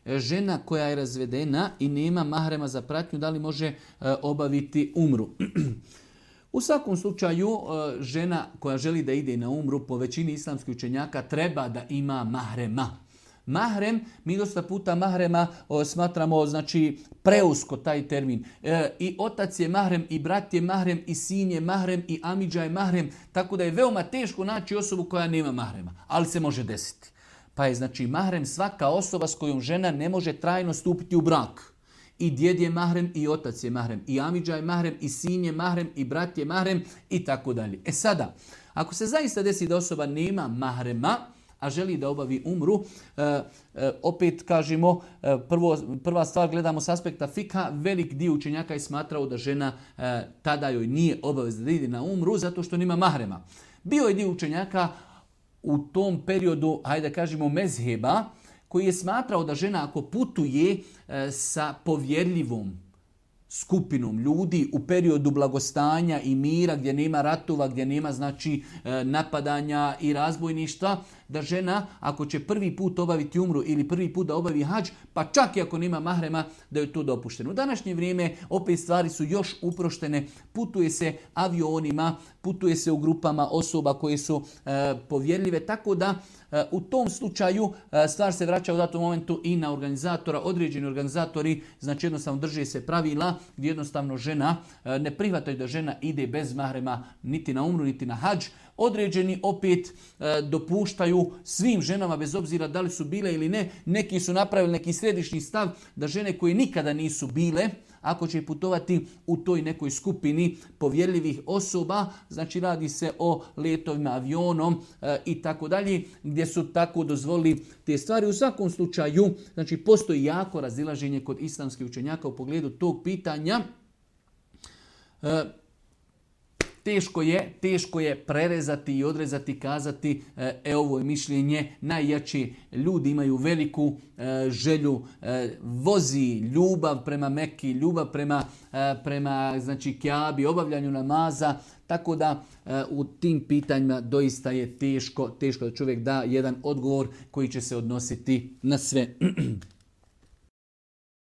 žena koja je razvedena i nema mahrema za pratnju, da li može obaviti umru? U svakom slučaju, žena koja želi da ide na umru, po većini islamskih učenjaka, treba da ima mahrema. Mahrem, mi dosta puta mahrema smatramo, znači, preusko taj termin. I otac je mahrem, i brat je mahrem, i sin je mahrem, i amidža je mahrem, tako da je veoma teško naći osobu koja nema mahrema, ali se može desiti. Pa je, znači, mahrem svaka osoba s kojom žena ne može trajno stupiti u brak. I djed je mahrem, i otac je mahrem, i amidža je mahrem, i sin je mahrem, i brat je mahrem, i tako dalje. E sada, ako se zaista desi da osoba nema mahrema, a želi da obavi umru, opet kažemo, prva stvar gledamo s aspekta fikha, velik dio učenjaka je smatrao da žena tada joj nije obavezna da ide na umru zato što nema mahrema. Bio je dio učenjaka u tom periodu, hajde da kažemo, mezheba, koji je smatrao da žena ako putuje sa povjerljivom skupinom ljudi u periodu blagostanja i mira, gdje nema ratova, gdje nema, znači, napadanja i razbojništva, da žena ako će prvi put obaviti umru ili prvi put da obavi hadž, pa čak i ako nema mahrema, da je to dopušteno. U današnje vrijeme opet stvari su još uproštene, putuje se avionima, putuje se u grupama osoba koje su povjerljive, tako da u tom slučaju stvar se vraća u datom momentu i na organizatora. Određeni organizatori, znači, jednostavno drže se pravila gdje jednostavno žena ne prihvataju da žena ide bez mahrema niti na umru niti na hadž. Određeni opet dopuštaju svim ženama, bez obzira da li su bile ili ne. Neki su napravili neki središnji stav da žene koje nikada nisu bile, ako će putovati u toj nekoj skupini povjerljivih osoba, znači radi se o letovima avionom i tako dalje, gdje su tako dozvolili te stvari. U svakom slučaju, znači, postoji jako razilaženje kod islamskih učenjaka u pogledu tog pitanja. Teško je prerezati i odrezati, kazati ovo je mišljenje najjači. Ljudi imaju veliku želju, vozi ljubav prema Mekki, ljubav prema znači, Kjabi, obavljanju namaza, tako da u tim pitanjima doista je teško da čovjek da jedan odgovor koji će se odnositi na sve.